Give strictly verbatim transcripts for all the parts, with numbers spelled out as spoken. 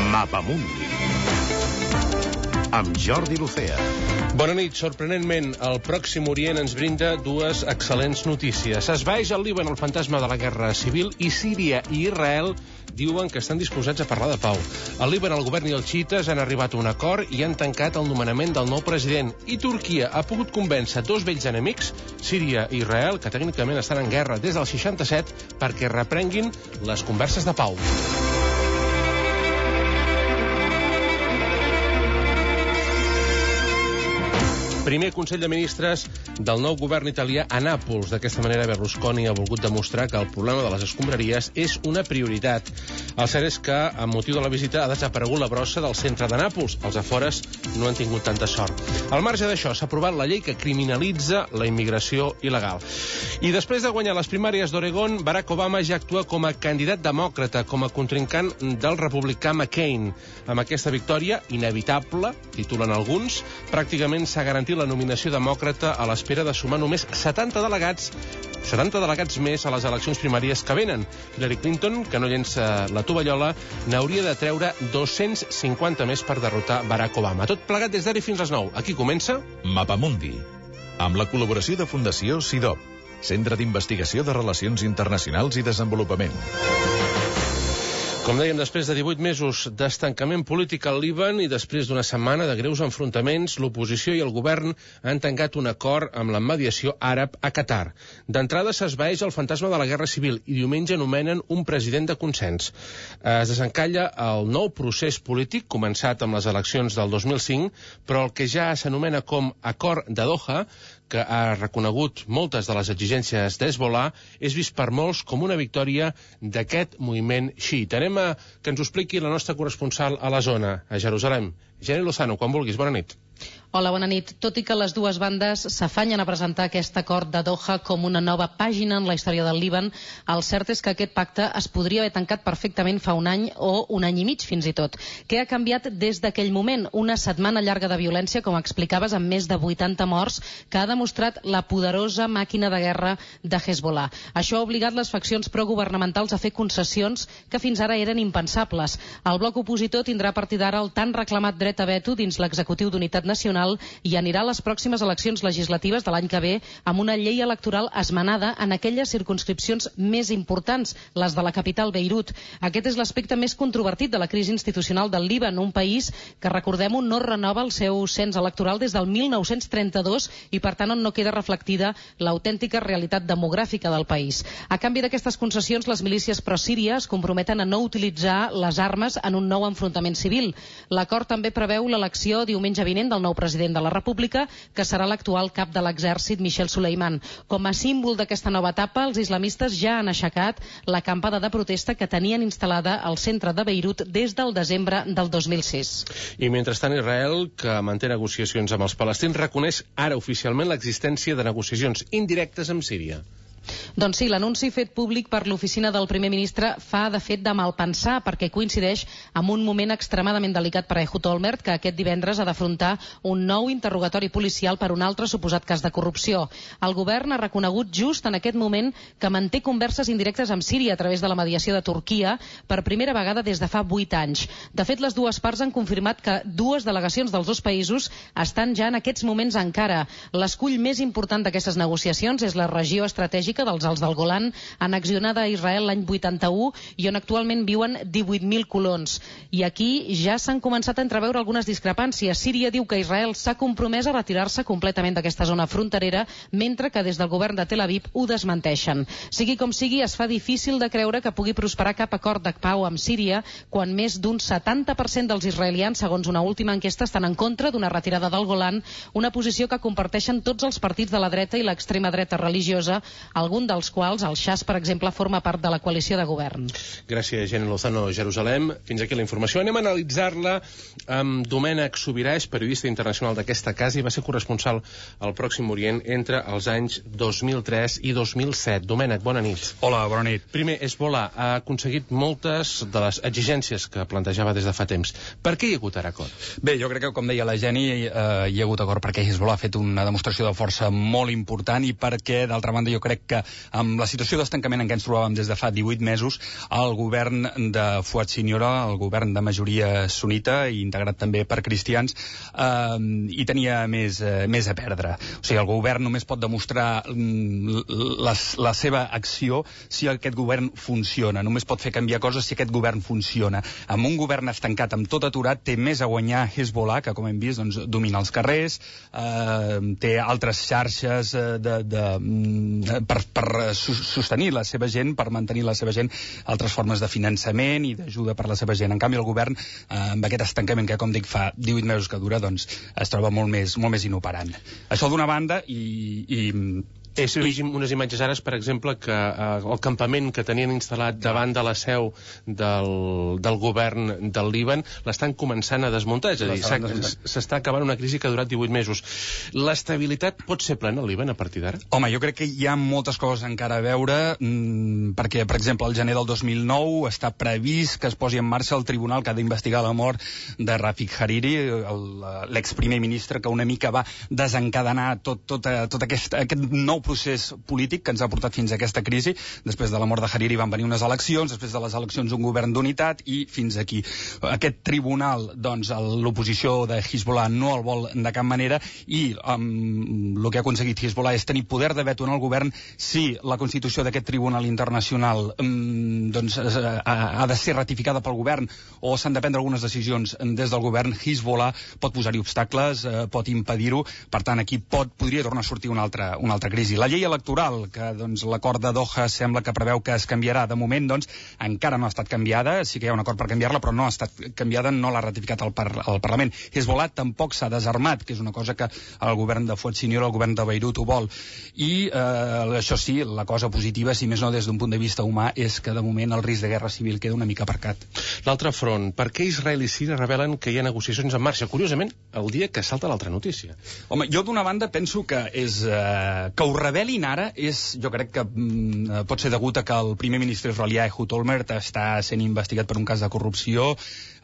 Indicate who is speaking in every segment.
Speaker 1: Mapamundi amb Jordi Lucea.
Speaker 2: Bona nit. Sorprenentment, el Pròxim Orient ens brinda dues excel·lents notícies. Esvaeix al Líban el fantasma de la guerra civil i Síria i Israel diuen que estan disposats a parlar de pau. Al Líban, el govern i els xiites han arribat a un acord i han tancat el nomenament del nou president. I Turquia ha pogut convèncer dos vells enemics, Síria i Israel, que tècnicament estan en guerra des del seixanta-set, perquè reprenguin les converses de pau. Primer Consell de Ministres del nou govern italià a Nàpols. D'aquesta manera, Berlusconi ha volgut demostrar que el problema de les escombraries és una prioritat. El cert és que, amb motiu de la visita, ha desaparegut la brossa del centre de Nàpols. Els afores no han tingut tanta sort. Al marge d'això, s'ha aprovat la llei que criminalitza la immigració il·legal. I després de guanyar les primàries d'Oregon, Barack Obama ja actua com a candidat demòcrata, com a contrincant del republicà McCain. Amb aquesta victòria, inevitable, titulen alguns, pràcticament s'ha garantit la nominació demòcrata a l'espera de sumar només setanta delegats, setanta delegats més a les eleccions primàries que venen. Hillary Clinton, que no llença la tovallola, n'hauria de treure dos-cents cinquanta més per derrotar Barack Obama. Tot plegat des d'ara fins les nou. Aquí comença
Speaker 3: Mapamundi, amb la col·laboració de Fundació SIDOP, Centre d'Investigació de Relacions Internacionals i Desenvolupament.
Speaker 2: Com dèiem, després de divuit mesos d'estancament polític al Líban i després d'una setmana de greus enfrontaments, l'oposició i el govern han tancat un acord amb la mediació àrab a Qatar. D'entrada s'esvaeix el fantasma de la guerra civil i diumenge nomenen un president de consens. Es desencalla el nou procés polític començat amb les eleccions del dos mil cinc, però el que ja s'anomena com Acord de Doha, que ha reconegut moltes de les exigències d'Hezbollah, és vist per molts com una victòria d'aquest moviment xiita. Anem a que ens ho expliqui la nostra corresponsal a la zona, a Jerusalem. Jenny Lozano, quan vulguis, bona nit.
Speaker 4: Hola, bona nit. Tot i que les dues bandes s'afanyen a presentar aquest acord de Doha com una nova pàgina en la història del Líban, el cert és que aquest pacte es podria haver tancat perfectament fa un any o un any i mig, fins i tot. Què ha canviat des d'aquell moment? Una setmana llarga de violència, com explicaves, amb més de vuitanta morts, que ha demostrat la poderosa màquina de guerra de Hezbollah. Això ha obligat les faccions progovernamentals a fer concessions que fins ara eren impensables. El bloc opositor tindrà a partir d'ara el tan reclamat dret a veto dins l'executiu d'unitat nacional i anirà a les pròximes eleccions legislatives de l'any que ve amb una llei electoral esmenada en aquelles circumscripcions més importants, les de la capital Beirut. Aquest és l'aspecte més controvertit de la crisi institucional del Líban, un país que, recordem-ho, no renova el seu cens electoral des del mil nou-cents trenta-dos i, per tant, on no queda reflectida l'autèntica realitat demogràfica del país. A canvi d'aquestes concessions, les milícies pro-síria es comprometen a no utilitzar les armes en un nou enfrontament civil. L'acord també preveu l'elecció diumenge vinent del nou president de la República, que serà l'actual cap de l'exèrcit, Michel Suleiman. Com a símbol d'aquesta nova etapa, els islamistes ja han aixecat l'acampada de protesta que tenien instal·lada al centre de Beirut des del desembre del dos mil sis.
Speaker 2: I mentrestant, Israel, que manté negociacions amb els palestins, reconeix ara oficialment l'existència de negociacions indirectes amb Síria.
Speaker 4: Doncs sí, l'anunci fet públic per l'oficina del primer ministre fa de fet de malpensar, perquè coincideix amb un moment extremadament delicat per a Ehud Olmert, que aquest divendres ha d'afrontar un nou interrogatori policial per un altre suposat cas de corrupció. El govern ha reconegut just en aquest moment que manté converses indirectes amb Síria a través de la mediació de Turquia per primera vegada des de fa vuit anys. De fet, les dues parts han confirmat que dues delegacions dels dos països estan ja en aquests moments a Ankara. L'escull més important d'aquestes negociacions és la regió estratègica dels Alts del Golan, annexionada a Israel l'any vuitanta-u i on actualment viuen divuit mil colons. I aquí ja s'han començat a entreveure algunes discrepàncies. Síria diu que Israel s'ha compromès a retirar-se completament d'aquesta zona fronterera, mentre que des del govern de Tel Aviv ho desmenteixen. Sigui com sigui, es fa difícil de creure que pugui prosperar cap acord de pau amb Síria, quan més d'un setanta per cent dels israelians, segons una última enquesta, estan en contra d'una retirada del Golan, una posició que comparteixen tots els partits de la dreta i l'extrema dreta religiosa, algun dels quals, el Xas, per exemple, forma part de la coalició de govern.
Speaker 2: Gràcies, Jenny Lozano, Jerusalem. Fins aquí la informació. Anem a analitzar-la amb Domènec Sobirà, és periodista internacional d'aquesta casa i va ser corresponsal al Pròxim Orient entre els anys dos mil tres i dos mil set. Domènec, bona nit.
Speaker 5: Hola, bona nit.
Speaker 2: Primer, Hezbollah ha aconseguit moltes de les exigències que plantejava des de fa temps. Per què hi ha hagut ara acord?
Speaker 5: Bé, jo crec que, com deia la Jenny, eh, hi ha hagut acord perquè Hezbollah ha fet una demostració de força molt important i perquè, d'altra banda, jo crec que amb la situació d'estancament en què ens trobàvem des de fa divuit mesos, el govern de Fuad Siniora, el govern de majoria sunita i integrat també per cristians, eh, hi tenia més, eh, més a perdre. O sigui, el govern només pot demostrar mm, la, la seva acció si aquest govern funciona. Només pot fer canviar coses si aquest govern funciona. Amb un govern estancat, amb tot aturat, té més a guanyar Hezbollah, que com hem vist doncs, domina els carrers, eh, té altres xarxes eh, de, de, de, per, per sostenir la seva gent, per mantenir la seva gent, altres formes de finançament i d'ajuda per la seva gent. En canvi, el govern, eh, amb aquest estancament que, com dic, fa divuit mesos que dura, doncs es troba molt més, molt més inoperant. Això d'una banda i... i
Speaker 2: És unes imatges ara, per exemple, que eh, el campament que tenien instal·lat davant de la seu del, del govern del Líban l'estan començant a desmuntar, és a dir, s'està acabant una crisi que ha durat divuit mesos. L'estabilitat pot ser plena al Líban a partir d'ara?
Speaker 5: Home, jo crec que hi ha moltes coses encara a veure, mmm, perquè, per exemple, al gener del dos mil nou està previst que es posi en marxa el tribunal que ha d'investigar la mort de Rafik Hariri, l'exprimer ministre que una mica va desencadenar tot, tot, tot aquest, aquest nou procés polític que ens ha portat fins a aquesta crisi. Després de la mort de Hariri van venir unes eleccions, després de les eleccions un govern d'unitat i fins aquí. Aquest tribunal, doncs, l'oposició de Hezbollah no el vol de cap manera i um, el que ha aconseguit Hezbollah és tenir poder de veto en el govern si la constitució d'aquest tribunal internacional um, doncs, ha, ha de ser ratificada pel govern o s'han de prendre algunes decisions des del govern. Hezbollah pot posar-hi obstacles, eh, pot impedir-ho, per tant aquí pot, podria tornar a sortir una altra, una altra crisi. La llei electoral, que doncs, l'acord de Doha sembla que preveu que es canviarà. De moment, doncs, encara no ha estat canviada. Sí que hi ha un acord per canviar-la, però no ha estat canviada, no l'ha ratificat el, par el Parlament. Hezbollah tampoc s'ha desarmat, que és una cosa que el govern de Fuad Siniora, el govern de Beirut, ho vol. I, eh, això sí, la cosa positiva, si més no des d'un punt de vista humà, és que de moment el risc de guerra civil queda una mica aparcat.
Speaker 2: L'altre front, per què Israel i Síria revelen que hi ha negociacions en marxa? Curiosament, el dia que salta l'altra notícia.
Speaker 5: Home, jo d'una banda penso que és eh, que ho revelin ara és, jo crec que mm, pot ser degut a que el primer ministre israelià Ehud Olmert està sent investigat per un cas de corrupció.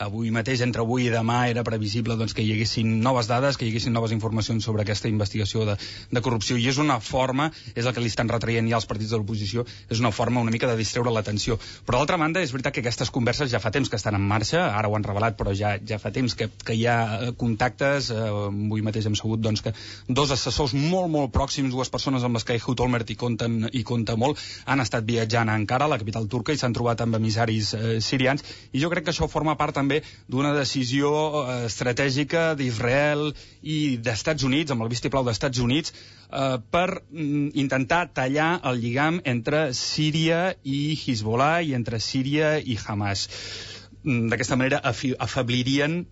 Speaker 5: Avui mateix, entre avui i demà, era previsible doncs, que hi haguessin noves dades, que hi haguessin noves informacions sobre aquesta investigació de, de corrupció, i és una forma, és el que li estan retraient ja els partits de l'oposició, és una forma una mica de distreure l'atenció. Però d'altra banda, és veritat que aquestes converses ja fa temps que estan en marxa, ara ho han revelat, però ja, ja fa temps que, que hi ha contactes. Eh, avui mateix hem sabut doncs, que dos assessors molt, molt pròxims, dues persones amb les que Ehud Olmert hi compten, hi compta molt, han estat viatjant a Ankara, la capital turca, i s'han trobat amb emissaris eh, sirians, i jo crec que això forma part també d'una decisió eh, estratègica d'Israel i d'Estats Units, amb el vistiplau d'Estats Units, eh, per mm, intentar tallar el lligam entre Síria i Hezbollah i entre Síria i Hamas. Mm, d'aquesta manera afeblirien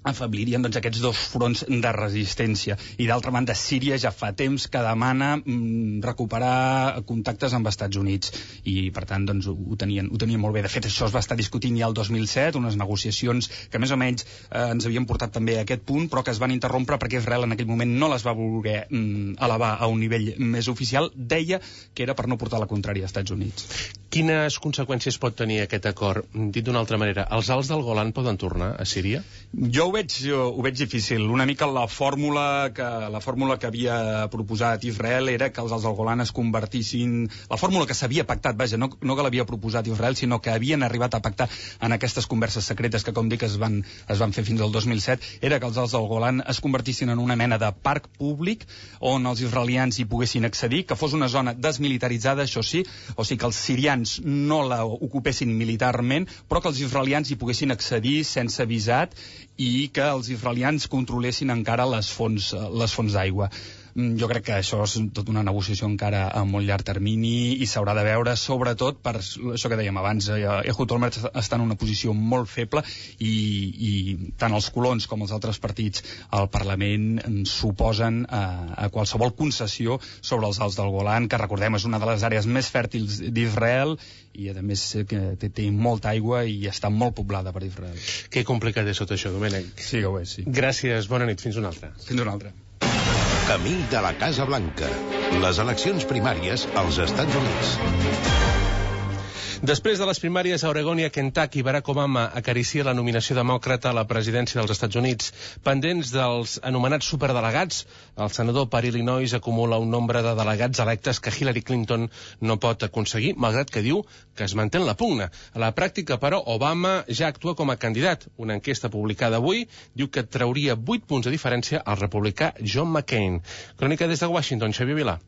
Speaker 5: afeblirien doncs, aquests dos fronts de resistència. I d'altra banda, Síria ja fa temps que demana mm, recuperar contactes amb Estats Units i per tant doncs, ho, tenien, ho tenien molt bé. De fet, això es va estar discutint ja el dos mil set, unes negociacions que més o menys eh, ens havien portat també a aquest punt, però que es van interrompre perquè Israel en aquell moment no les va voler mm, elevar a un nivell més oficial. Deia que era per no portar la contrària als Estats Units.
Speaker 2: Quines conseqüències pot tenir aquest acord? Dit d'una altra manera, els alts del Golan poden tornar a Síria?
Speaker 5: Jo ho veig, jo, ho veig difícil. Una mica la fórmula que, la fórmula que havia proposat Israel era que els alts del Golan es convertissin... La fórmula que s'havia pactat, vaja, no, no que l'havia proposat Israel, sinó que havien arribat a pactar en aquestes converses secretes que, com dic, es van, es van fer fins al dos mil set, era que els alts del Golan es convertissin en una mena de parc públic on els israelians hi poguessin accedir, que fos una zona desmilitaritzada, això sí, o sigui que els sirians no la ocupessin militarment, però que els israelians hi poguessin accedir sense visat i que els israelians controlessin encara les fonts, les fonts d'aigua. Jo crec que això és tota una negociació encara a molt llarg termini i s'haurà de veure, sobretot per això que dèiem abans. Ehud Olmert està en una posició molt feble i, i tant els colons com els altres partits al Parlament s'oposen a, a qualsevol concessió sobre els alts del Golan, que recordem és una de les àrees més fèrtils d'Israel i a més que té, té molta aigua i està molt poblada per Israel.
Speaker 2: Que complicat és tot això, Domènec.
Speaker 5: Sí que ho és, sí.
Speaker 2: Gràcies, bona nit, fins una altra.
Speaker 5: Fins una altra.
Speaker 1: Camí de la Casa Blanca. Les eleccions primàries als Estats Units.
Speaker 2: Després de les primàries a Oregon i a Kentucky, Barack Obama acaricia la nominació demòcrata a la presidència dels Estats Units. Pendents dels anomenats superdelegats, el senador per Illinois acumula un nombre de delegats electes que Hillary Clinton no pot aconseguir, malgrat que diu que es manté en la pugna. A la pràctica, però, Obama ja actua com a candidat. Una enquesta publicada avui diu que trauria vuit punts de diferència al republicà John McCain. Crònica des de Washington, Xavier Vilà.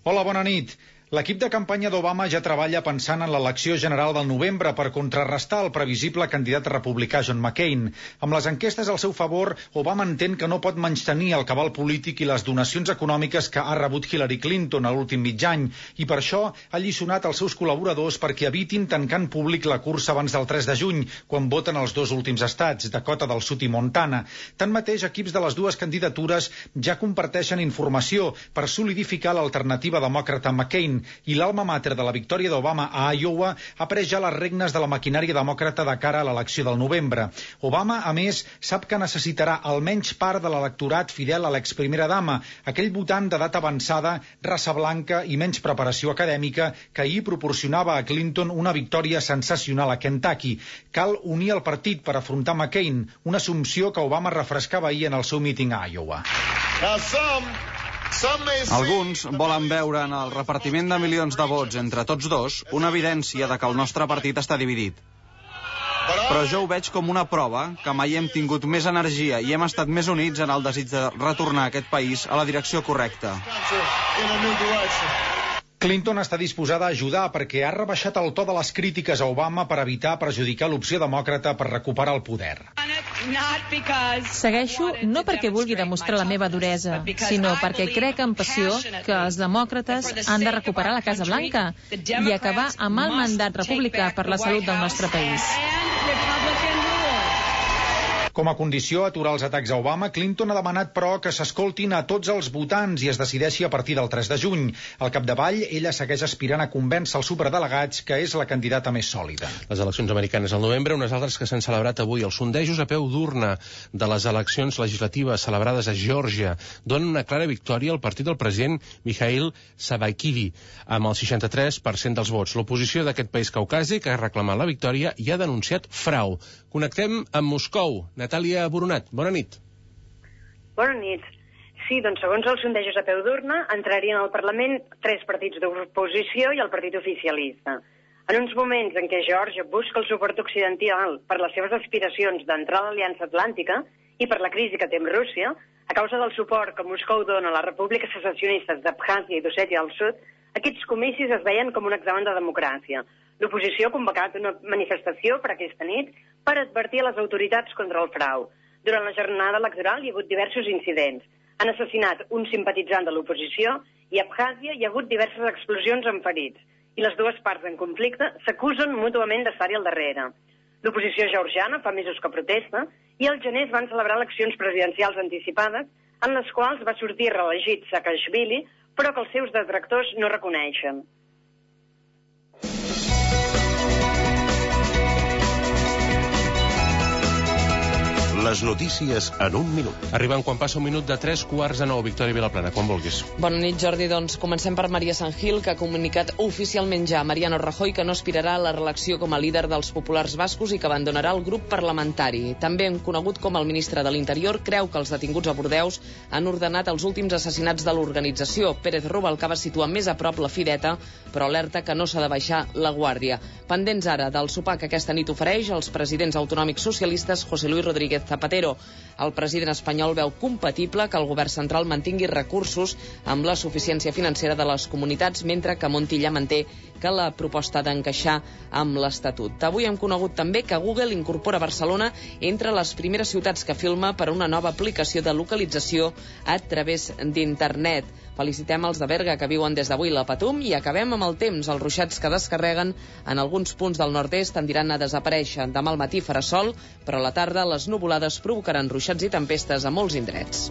Speaker 6: Hola, bona nit. L'equip de campanya d'Obama ja treballa pensant en l'elecció general del novembre per contrarrestar el previsible candidat republicà John McCain. Amb les enquestes al seu favor, Obama entén que no pot menystenir el cabal polític i les donacions econòmiques que ha rebut Hillary Clinton a l'últim mig any, i per això ha alliçonat els seus col·laboradors perquè evitin tancar en públic la cursa abans del tres de juny, quan voten els dos últims estats, Dakota del Sud i Montana. Tanmateix, equips de les dues candidatures ja comparteixen informació per solidificar l'alternativa demòcrata a McCain, i l'alma mater de la victòria d'Obama a Iowa ha pres ja les regnes de la maquinària demòcrata de cara a l'elecció del novembre. Obama, a més, sap que necessitarà almenys part de l'electorat fidel a l'exprimera dama, aquell votant d'edat avançada, raça blanca i menys preparació acadèmica que ahir proporcionava a Clinton una victòria sensacional a Kentucky. Cal unir el partit per afrontar McCain, una assumpció que Obama refrescava ahir en el seu míting a Iowa.
Speaker 7: Alguns volen veure en el repartiment de milions de vots entre tots dos una evidència de que el nostre partit està dividit. Però jo ho veig com una prova que mai hem tingut més energia i hem estat més units en el desig de retornar aquest país a la direcció correcta.
Speaker 6: Clinton està disposada a ajudar perquè ha rebaixat el to de les crítiques a Obama per evitar perjudicar l'opció demòcrata per recuperar el poder.
Speaker 8: Segueixo no perquè vulgui demostrar la meva duresa, sinó perquè crec amb passió que els demòcrates han de recuperar la Casa Blanca i acabar amb el mandat republicà per la salut del nostre país.
Speaker 6: Com a condició a aturar els atacs a Obama, Clinton ha demanat, però, que s'escoltin a tots els votants i es decideixi a partir del tres de juny. Al capdavall, ella segueix aspirant a convèncer els superdelegats que és la candidata més sòlida.
Speaker 2: Les eleccions americanes al novembre, unes altres que s'han celebrat avui. Els sondejos a peu d'urna de les eleccions legislatives celebrades a Geòrgia donen una clara victòria al partit del president Mikhail Saakashvili, amb el seixanta-tres per cent dels vots. L'oposició d'aquest país caucàsic ha reclamat la victòria i ha denunciat frau. Connectem amb Moscou. Natàlia Boronat, bona nit.
Speaker 9: Bona nit. Sí, doncs segons els sondejos a peu d'urna, entrarien al Parlament tres partits d'oposició i el partit oficialista. En uns moments en què Geòrgia busca el suport occidental per les seves aspiracions d'entrar a l'Aliança Atlàntica i per la crisi que té amb Rússia, a causa del suport que Moscou dona a les repúbliques secessionistes d'Abkhàzia i d'Ossètia del Sud, aquests comicis es veien com un examen de democràcia. L'oposició ha convocat una manifestació per aquesta nit per advertir a les autoritats contra el frau. Durant la jornada electoral hi ha hagut diversos incidents. Han assassinat un simpatitzant de l'oposició i a Abkhàzia hi ha hagut diverses explosions amb ferits. I les dues parts en conflicte s'acusen mútuament d'estar-hi al darrere. L'oposició georgiana fa mesos que protesta i al gener es van celebrar eleccions presidencials anticipades en les quals va sortir reelegit Saakashvili, però que els seus detractors no reconeixen.
Speaker 1: Les notícies en un minut.
Speaker 2: Arribant quan passa un minut de tres quarts de nou. Victòria Vilaplana, quan vulguis.
Speaker 10: Bona nit, Jordi. Doncs comencem per Maria Sangil, que ha comunicat oficialment ja a Mariano Rajoy que no aspirarà a la reelecció com a líder dels populars bascos i que abandonarà el grup parlamentari. També conegut com el ministre de l'Interior, creu que els detinguts a Bordeus han ordenat els últims assassinats de l'organització. Pérez Rubalcaba situa més a prop la fideta, però alerta que no s'ha de baixar la guàrdia. Pendents ara del sopar que aquesta nit ofereix els presidents autonòmics socialistes José Luis Rodríguez Zapatero. El president espanyol veu compatible que el govern central mantingui recursos amb la suficiència financera de les comunitats, mentre que Montilla manté que la proposta d'encaixar amb l'Estatut. Avui hem conegut també que Google incorpora Barcelona entre les primeres ciutats que filma per una nova aplicació de localització a través d'internet. Felicitem els de Berga que viuen des d'avui la Patum i acabem amb el temps. Els ruixats que descarreguen en alguns punts del nord-est tendiran a desaparèixer. Demà al matí farà sol, però a la tarda les nuvolades provocaran ruixats i tempestes a molts indrets.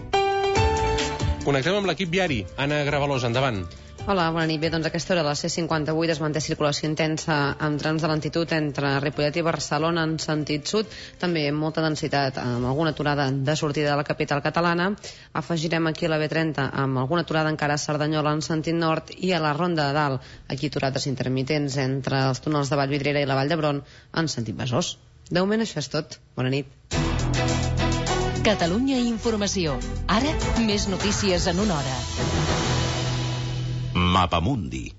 Speaker 2: Connectem amb l'equip viari. Anna Gravalosa, endavant.
Speaker 11: Hola, bona nit. Bé, doncs a aquesta hora la C cinquanta-vuit es manté circulació intensa amb trams de lentitud entre Ripollet i Barcelona en sentit sud, també amb molta densitat, amb alguna aturada de sortida de la capital catalana. Afegirem aquí la B trenta amb alguna aturada encara a Cerdanyola en sentit nord i a la Ronda de Dalt, aquí aturades intermitents entre els túnels de Vallvidrera i la Vall d'Hebron en sentit Besòs. De moment això és tot. Bona nit.
Speaker 12: Catalunya Informació. Ara, més notícies en una hora.
Speaker 1: Mapamundi.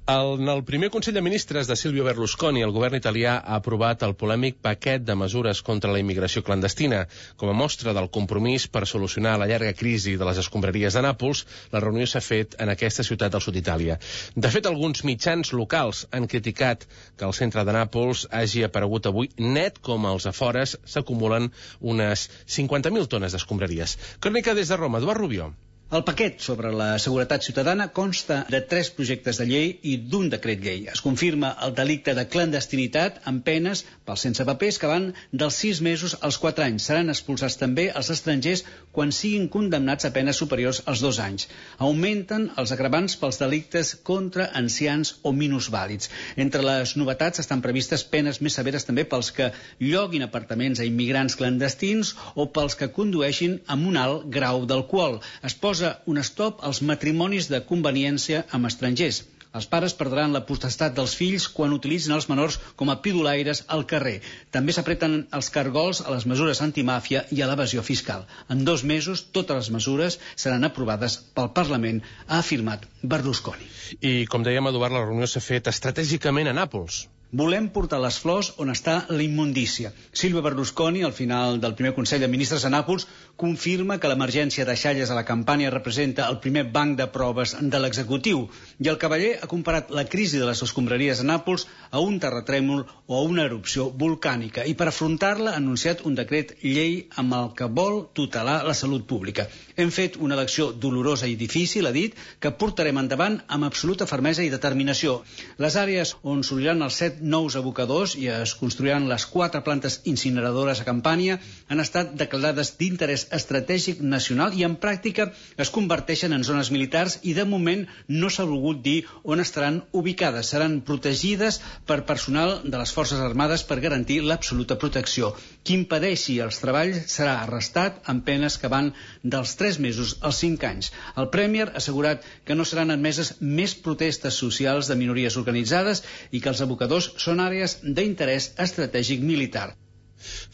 Speaker 2: En el primer Consell de Ministres de Silvio Berlusconi, el govern italià ha aprovat el polèmic paquet de mesures contra la immigració clandestina. Com a mostra del compromís per solucionar la llarga crisi de les escombraries de Nàpols, la reunió s'ha fet en aquesta ciutat del sud d'Itàlia. De fet, alguns mitjans locals han criticat que el centre de Nàpols hagi aparegut avui net com als afores s'acumulen unes cinquanta mil tones d'escombraries. Crònica des de Roma, Eduard Rubió.
Speaker 13: El paquet sobre la seguretat ciutadana consta de tres projectes de llei i d'un decret llei. Es confirma el delicte de clandestinitat amb penes pels sense papers que van dels sis mesos als quatre anys. Seran expulsats també els estrangers quan siguin condemnats a penes superiors als dos anys. Augmenten els agravants pels delictes contra ancians o minusvàlids. Entre les novetats estan previstes penes més severes també pels que lloguin apartaments a immigrants clandestins o pels que condueixin amb un alt grau d'alcohol. Es posa un stop als matrimonis de conveniència amb estrangers. Els pares perdran la potestat dels fills quan utilitzin els menors com a pidolaires al carrer. També s'apreten els cargols a les mesures antimàfia i a l'evasió fiscal. En dos mesos, totes les mesures seran aprovades pel Parlament, ha afirmat Berlusconi.
Speaker 2: I, com dèiem, Eduard, la reunió s'ha fet estratègicament a Nàpols.
Speaker 13: Volem portar les flors on està la immundícia. Silvio Berlusconi, al final del primer Consell de Ministres a Nàpols, confirma que l'emergència de Xalles a la Campània representa el primer banc de proves de l'executiu. I el cavaller ha comparat la crisi de les escombraries a Nàpols a un terratrèmol o a una erupció volcànica. I per afrontar-la ha anunciat un decret llei amb el que vol tutelar la salut pública. Hem fet una elecció dolorosa i difícil, ha dit, que portarem endavant amb absoluta fermesa i determinació. Les àrees on s'obriran els set nous abocadors i es construiran les quatre plantes incineradores a Campània han estat declarades d'interès estratègic nacional i en pràctica es converteixen en zones militars i de moment no s'ha volgut dir on estaran ubicades. Seran protegides per personal de les Forces Armades per garantir l'absoluta protecció. Qui impedeixi els treballs serà arrestat amb penes que van dels tres mesos als cinc anys. El Premier ha assegurat que no seran admeses més protestes socials de minories organitzades i que els abocadors són àrees d'interès estratègic militar.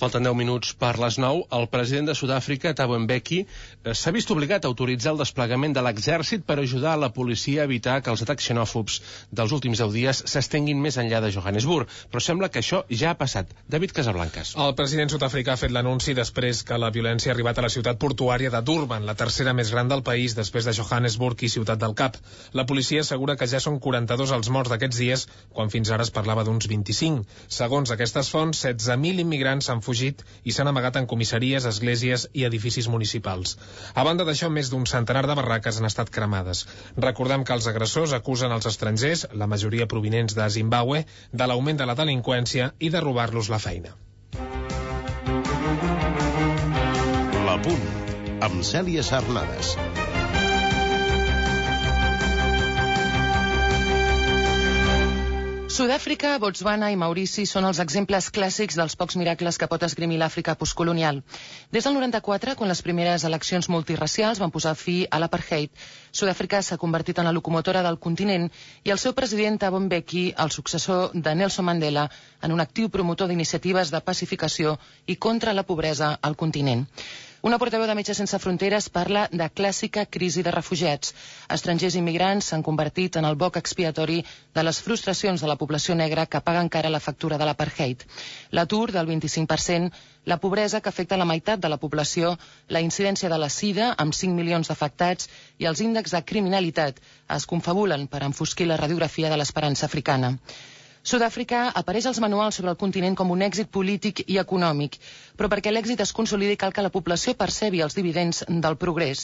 Speaker 2: Falten deu minuts per les nou. El president de Sud-àfrica, Thabo Mbeki, s'ha vist obligat a autoritzar el desplegament de l'exèrcit per ajudar la policia a evitar que els atacs xenòfobs dels últims deu dies s'estenguin més enllà de Johannesburg. Però sembla que això ja ha passat. David Casablancas.
Speaker 14: El president sud-africà ha fet l'anunci després que la violència ha arribat a la ciutat portuària de Durban, la tercera més gran del país després de Johannesburg i Ciutat del Cap. La policia assegura que ja són quaranta-dos els morts d'aquests dies, quan fins ara es parlava d'uns vint-i-cinc. Segons aquestes fonts, setze mil immigrants s'han fugit i s'han amagat en comissaries, esglésies i edificis municipals. A banda d'això, més d'un centenar de barraques han estat cremades. Recordem que els agressors acusen els estrangers, la majoria provinents de Zimbabue, de l'augment de la delinqüència i de robar-los la feina.
Speaker 1: La Punt, amb Cèlia Sarnades.
Speaker 15: Sud-àfrica, Botswana i Maurici són els exemples clàssics dels pocs miracles que pot esgrimir l'Àfrica postcolonial. Des del noranta-quatre, quan les primeres eleccions multiracials van posar fi a l'apartheid, Sud-àfrica s'ha convertit en la locomotora del continent i el seu president Thabo Mbeki, el successor de Nelson Mandela, en un actiu promotor d'iniciatives de pacificació i contra la pobresa al continent. Una portaveu de Metges Sense Fronteres parla de clàssica crisi de refugiats. Estrangers immigrants s'han convertit en el boc expiatori de les frustracions de la població negra que paga encara la factura de l'apartheid. L'atur del vint-i-cinc per cent, la pobresa que afecta la meitat de la població, la incidència de la sida amb cinc milions d'afectats i els índexs de criminalitat es confabulen per enfosquir la radiografia de l'esperança africana. Sud-àfrica apareix als manuals sobre el continent com un èxit polític i econòmic, però perquè l'èxit es consolidi cal que la població percebi els dividends del progrés.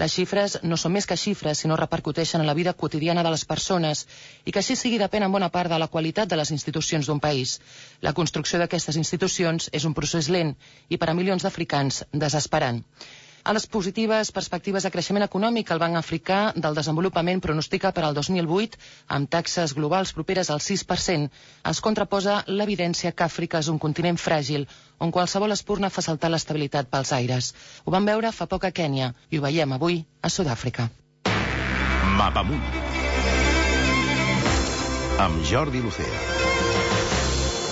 Speaker 15: Les xifres no són més que xifres, sinó repercuteixen en la vida quotidiana de les persones i que així sigui depèn en bona part de la qualitat de les institucions d'un país. La construcció d'aquestes institucions és un procés lent i per a milions d'africans desesperant. A les positives perspectives de creixement econòmic, el Banc Africà del Desenvolupament pronostica per al dos mil vuit, amb taxes globals properes al sis per cent, es contraposa l'evidència que Àfrica és un continent fràgil, on qualsevol espurna fa saltar l'estabilitat pels aires. Ho vam veure fa poc a Kènia i ho veiem avui a Sud-àfrica.
Speaker 1: Mapamunt amb Jordi Lucea.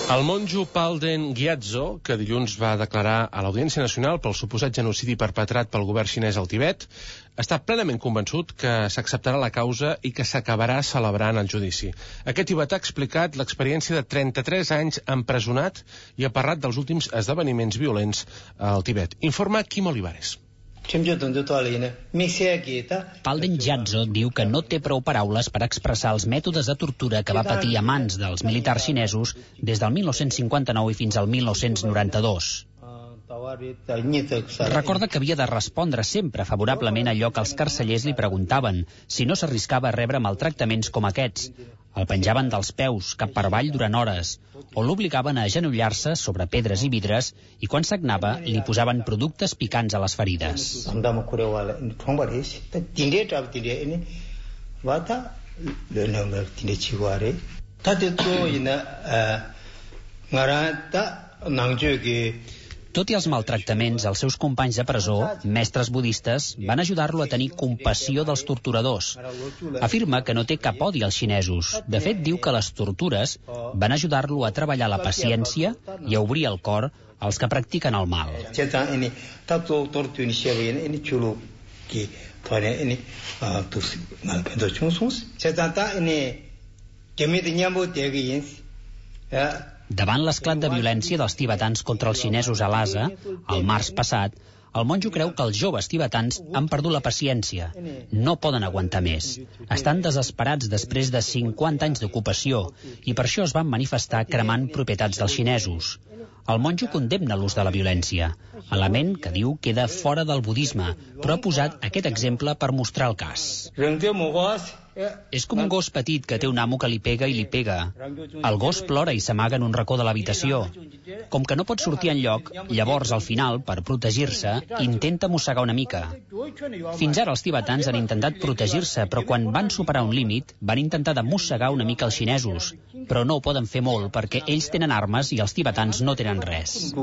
Speaker 2: El monjo Palden Gyatso, que dilluns va declarar a l'Audiència Nacional pel suposat genocidi perpetrat pel govern xinès al Tibet, està plenament convençut que s'acceptarà la causa i que s'acabarà celebrant el judici. Aquest tibetà ha explicat l'experiència de trenta-tres anys empresonat i ha parlat dels últims esdeveniments violents al Tibet. Informa Quim Olivares.
Speaker 16: Palden Gyatso diu que no té prou paraules per expressar els mètodes de tortura que va patir a mans dels militars xinesos des del mil nou-cents cinquanta-nou i fins al mil nou-cents noranta-dos. Recorda que havia de respondre sempre favorablement a allò que els carcellers li preguntaven, si no s'arriscava a rebre maltractaments com aquests. El penjaven dels peus, cap per avall durant hores, o l'obligaven a agenollar-se sobre pedres i vidres i quan sagnava li posaven productes picants a les ferides. Tot i els maltractaments, els seus companys de presó, mestres budistes, van ajudar-lo a tenir compassió dels torturadors. Afirma que no té cap odi als xinesos. De fet, diu que les tortures van ajudar-lo a treballar la paciència i a obrir el cor als que practiquen el mal. Davant l'esclat de violència dels tibetans contra els xinesos a Lhasa, el març passat, el monjo creu que els joves tibetans han perdut la paciència. No poden aguantar més. Estan desesperats després de cinquanta anys d'ocupació i per això es van manifestar cremant propietats dels xinesos. El monjo condemna l'ús de la violència, element que diu queda fora del budisme, però ha posat aquest exemple per mostrar el cas. És com un gos petit que té un amo que li pega i li pega. El gos plora i s'amaga en un racó de l'habitació. Com que no pot sortir enlloc, llavors, al final, per protegir-se, intenta mossegar una mica. Fins ara els tibetans han intentat protegir-se, però quan van superar un límit, van intentar de mossegar una mica els xinesos. Però no ho poden fer molt, perquè ells tenen armes i els tibetans no tenen res.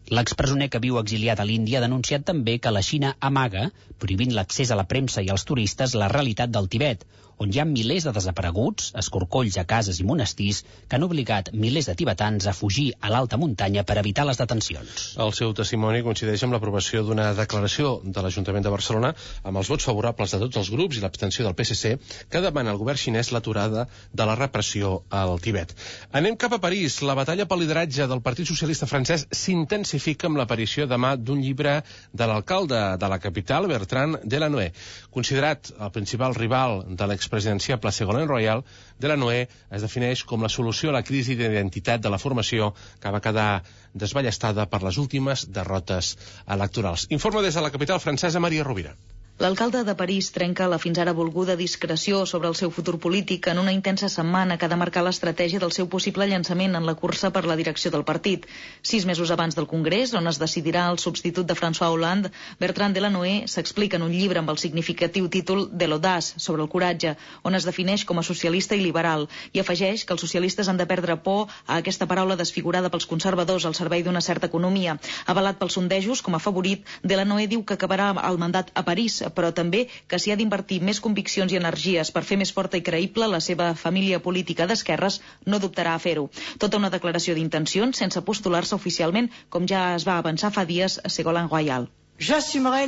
Speaker 16: L'expresoner que viu exiliat a l'Índia ha denunciat també que la Xina amaga, prohibint l'accés a la premsa i als turistes, la realitat del Tibet, on hi ha milers de desapareguts, escorcolls a cases i monestirs, que han obligat milers de tibetans a fugir a l'alta muntanya per evitar les detencions.
Speaker 2: El seu testimoni coincideix amb l'aprovació d'una declaració de l'Ajuntament de Barcelona amb els vots favorables de tots els grups i l'abstenció del P S C, que demana al govern xinès l'aturada de la repressió al Tibet. Anem cap a París. La batalla pel lideratge del Partit Socialista francès s'intensifica amb l'aparició demà d'un llibre de l'alcalde de la capital, Bertrand Delanoë. Considerat el principal rival de l'expresidenciable Ségolène Royal, Delanoë es defineix com la solució a la crisi d'identitat de la formació que va quedar desballestada per les últimes derrotes electorals. Informa des de la capital francesa Maria Rovira.
Speaker 17: L'alcalde de París trenca la fins ara volguda discreció sobre el seu futur polític en una intensa setmana que ha de marcar l'estratègia del seu possible llançament en la cursa per la direcció del partit. Sis mesos abans del Congrés, on es decidirà el substitut de François Hollande, Bertrand Delanoë s'explica en un llibre amb el significatiu títol de l'audaç, sobre el coratge, on es defineix com a socialista i liberal, i afegeix que els socialistes han de perdre por a aquesta paraula desfigurada pels conservadors al servei d'una certa economia. Avalat pels sondejos com a favorit, Delanoë diu que acabarà el mandat a París, però també que s'hi ha d'invertir més conviccions i energies per fer més forta i creïble la seva família política d'esquerres, no dubtarà a fer-ho. Tota una declaració d'intencions sense postular-se oficialment, com ja es va avançar fa dies a Ségolène Royal.
Speaker 18: Assumiré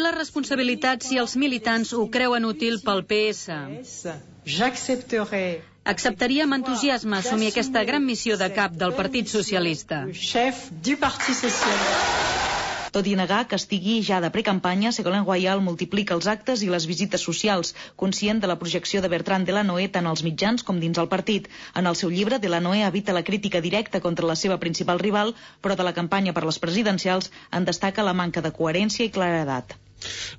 Speaker 18: les responsabilitats si els militants ho creuen útil pel P S. Acceptaria amb entusiasme assumir aquesta gran missió de cap del Partit Socialista.
Speaker 17: Tot i negar que estigui ja de precampanya, Ségolène Royal multiplica els actes i les visites socials, conscient de la projecció de Bertrand Delanoë tant als mitjans com dins el partit. En el seu llibre, Delanoë evita la crítica directa contra la seva principal rival, però de la campanya per les presidencials en destaca la manca de coherència i claredat.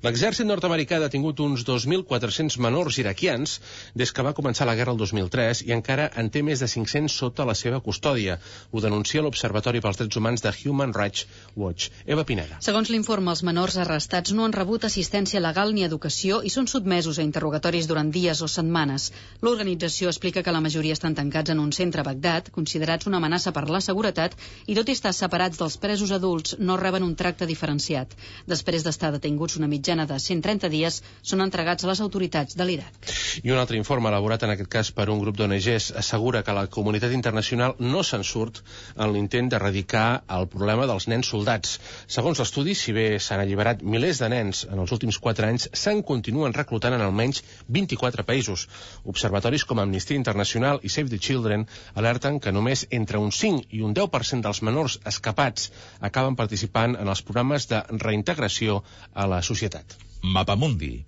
Speaker 2: L'exèrcit nord-americà ha detingut uns dos mil quatre-cents menors iraquians des que va començar la guerra el dos mil tres i encara en té més de cinc-cents sota la seva custòdia. Ho denuncia l'Observatori pels Drets Humans de Human Rights Watch. Eva Pineda.
Speaker 18: Segons l'informe, els menors arrestats no han rebut assistència legal ni educació i són sotmesos a interrogatoris durant dies o setmanes. L'organització explica que la majoria estan tancats en un centre a Bagdad, considerats una amenaça per la seguretat, i tot i estar separats dels presos adults, no reben un tracte diferenciat. Després d'estar detinguts una mitjana de cent trenta dies, són entregats a les autoritats de l'Iraq.
Speaker 2: I un altre informe elaborat en aquest cas per un grup d'O N Ges assegura que la comunitat internacional no se'n surt en l'intent d'erradicar el problema dels nens soldats. Segons l'estudi, si bé s'han alliberat milers de nens en els últims quatre anys, se'n continuen reclutant en almenys vint-i-quatre països. Observatoris com Amnistia Internacional i Save the Children alerten que només entre un cinc i un deu per cent dels menors escapats acaben participant en els programes de reintegració a la societat.
Speaker 3: Mapamundi,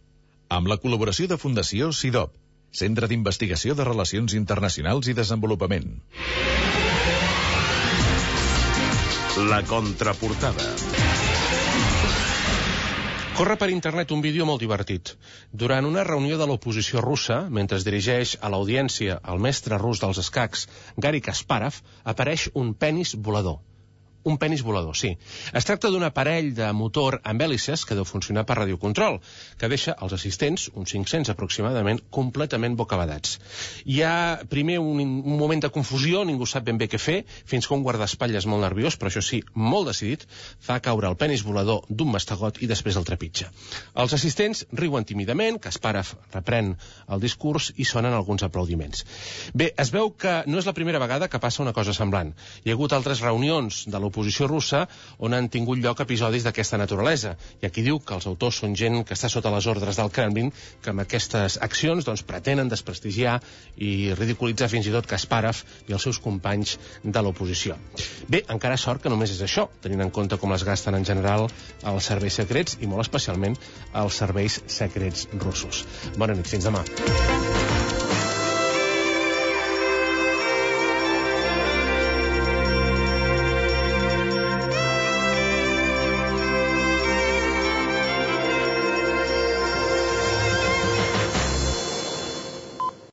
Speaker 3: amb la col·laboració de Fundació SIDOP, Centre d'Investigació de Relacions Internacionals i Desenvolupament.
Speaker 1: La contraportada.
Speaker 2: Corre per internet un vídeo molt divertit. Durant una reunió de l'oposició russa, mentre es dirigeix a l'audiència el mestre rus dels escacs, Garry Kasparov, apareix un penis volador. Un penis volador, sí. Es tracta d'un aparell de motor amb hèlices que deu funcionar per radiocontrol, que deixa els assistents, uns cinc-cents aproximadament, completament bocabadats. Hi ha primer un, un moment de confusió, ningú sap ben bé què fer, fins que un guardaespatlles molt nerviós, però això sí, molt decidit, fa caure el penis volador d'un mastegot i després el trepitja. Els assistents riuen tímidament, Kasparov reprèn el discurs i sonen alguns aplaudiments. Bé, es veu que no és la primera vegada que passa una cosa semblant. Hi ha hagut altres reunions de l'oposició russa on han tingut lloc episodis d'aquesta naturalesa. I aquí diu que els autors són gent que està sota les ordres del Kremlin, que amb aquestes accions doncs, pretenen desprestigiar i ridiculitzar fins i tot Kasparov i els seus companys de l'oposició. Bé, encara sort que només és això, tenint en compte com es gasten en general els serveis secrets i molt especialment els serveis secrets russos. Bona nit, fins demà.